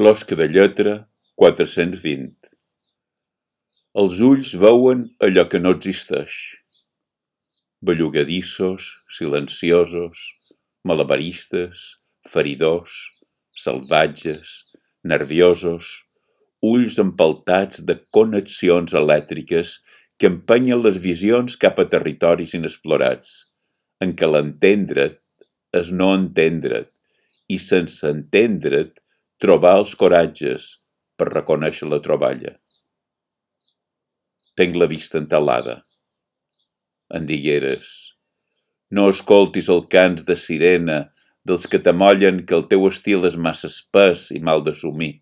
Closca de lletra 420. Els ulls veuen allò que no existeix. Bellugadissos, silenciosos, malabaristes, feridors, salvatges, nerviosos, ulls empeltats de connexions elèctriques que empenyen les visions cap a territoris inexplorats, en què l'entendre't és no entendre't i sense entendre't trobar els coratges per reconèixer la troballa. Tenc la vista entelada. Em digueres, no escoltis el cants de sirena dels que t'amollen que el teu estil és massa espès i mal d'assumir.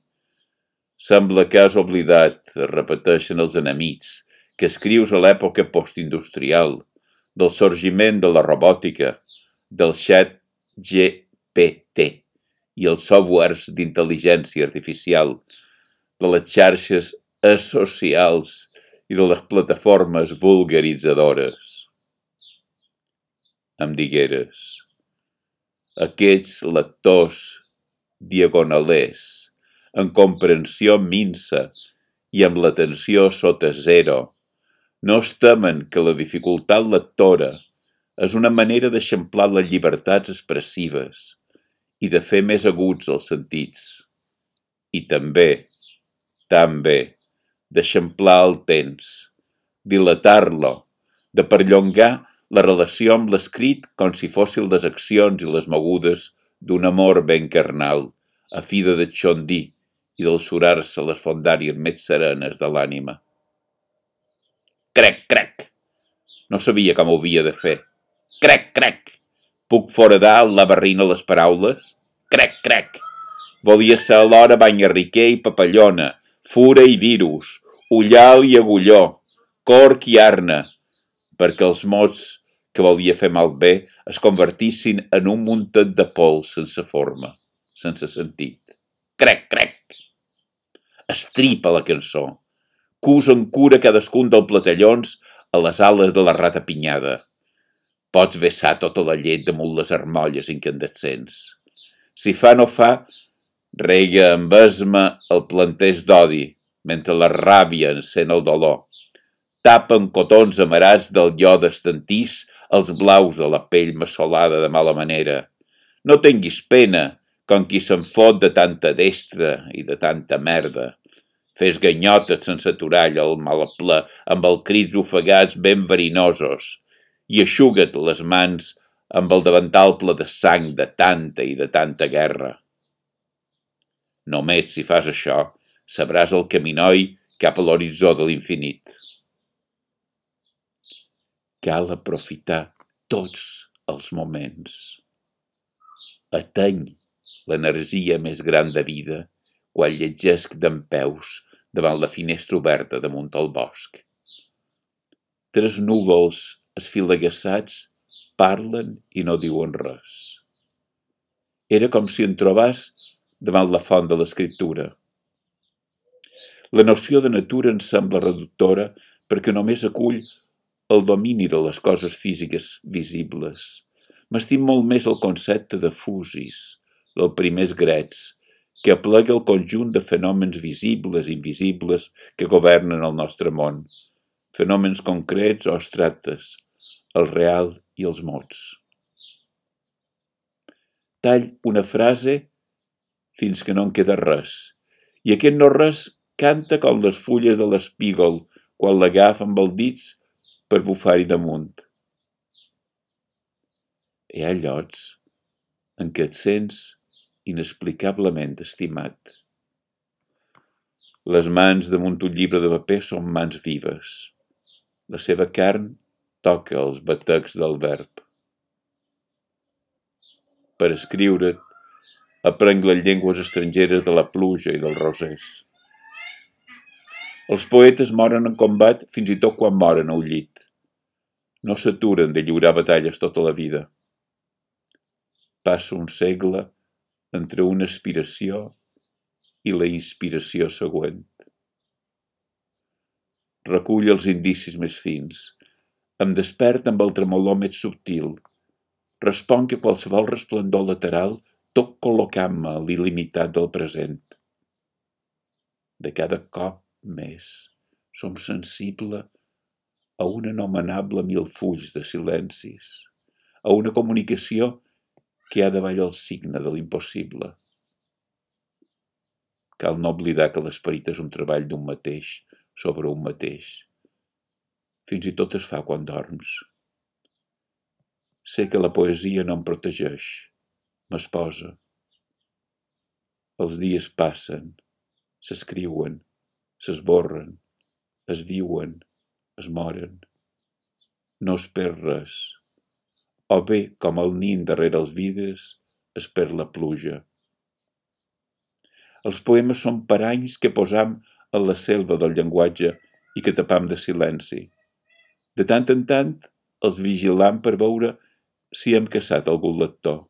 Sembla que has oblidat, es repeteixen els enemics, que escrius a l'època postindustrial, del sorgiment de la robòtica, del xat GPT i els softwares d'intel·ligència artificial, de les xarxes socials i de les plataformes vulgaritzadores. Em digueres, aquests lectors diagonalers, en comprensió minsa i amb l'atenció sota zero, no es temen que la dificultat lectora és una manera d'eixamplar les llibertats expressives i de fer més aguts els sentits. I també, d'eixamplar el temps, dilatar-lo, de perllongar la relació amb l'escrit com si fossin les accions i les mogudes d'un amor ben carnal, a fi de deixondir i d'elsurar-se les fondàries més serenes de l'ànima. Crec! No sabia com ho havia de fer. Crec! Puc foradar el laberrint a les paraules? Crec! Volia ser alhora banyarriquer i papallona, fura i virus, ullal i agulló, corc i arna, perquè els mots que volia fer malbé es convertissin en un muntet de pols sense forma, sense sentit. Crec! Estripa la cançó. Cus en cura cadascun dels platellons a les ales de la rata pinyada. Pots vessar tota la llet damunt les armolles incandescents. Si fa no fa, rega amb esma el planteix d'odi, mentre la ràbia encén el dolor. Tapa amb cotons amarats del iode estantís els blaus de la pell massolada de mala manera. No tinguis pena, com qui se'n fot de tanta destra i de tanta merda. Fes ganyotes sense aturar el malaplè amb els crits ofegats ben verinosos i eixuga't les mans amb el davantal ple de sang de tanta i de tanta guerra. Només si fas això, sabràs el caminoi cap a l'horitzó de l'infinit. Cal aprofitar tots els moments. Ateny l'energia més gran de vida quan llegesc dempeus davant la finestra oberta damunt el bosc. 3 núvols esfilagueçats parlen i no diuen res. Era com si en trobàs davant la font de l'escriptura. La noció de natura ens sembla reductora perquè només acull el domini de les coses físiques visibles. M'estim molt més el concepte de fusis, dels primers grets, que aplega el conjunt de fenòmens visibles i invisibles que governen el nostre món, fenòmens concrets o abstractes, el real i els mots. Tall una frase fins que no en queda res, i aquest no res canta com les fulles de l'espígol quan l'agafa amb els dits per bufar-hi damunt. Hi ha llocs en què et sents inexplicablement estimat. Les mans damunt un llibre de paper són mans vives. La seva carn toca els batecs del verb. Per escriure't, aprenc les llengües estrangeres de la pluja i dels rosers. Els poetes moren en combat fins i tot quan moren al llit. No s'aturen de lliurar batalles tota la vida. Passa un segle entre una aspiració i la inspiració següent. Recull els indicis més fins. Em desperta amb el tremolor més subtil. Responc a qualsevol resplendor lateral tot col·locant-me a l'il·limitat del present. De cada cop més som sensibles a un anomenable milfulls de silencis, a una comunicació que ha de ballar el signe de l'impossible. Cal no oblidar que l'esperit és un treball d'un mateix sobre un mateix. Fins i tot es fa quan dorms. Sé que la poesia no em protegeix, m'esposa. Els dies passen, s'escriuen, s'esborren, es viuen, es moren. No es perd res. O bé, com el nin darrere els vidres, es perd la pluja. Els poemes són paranys que posam a la selva del llenguatge i que tapam de silenci. De tant en tant els vigilam per veure si hem caçat algun lector.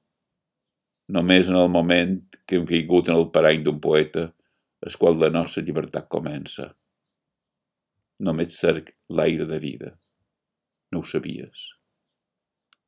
Només en el moment que hem caigut en el parany d'un poeta és quan la nostra llibertat comença. Només cerc l'aire de vida. No ho sabies.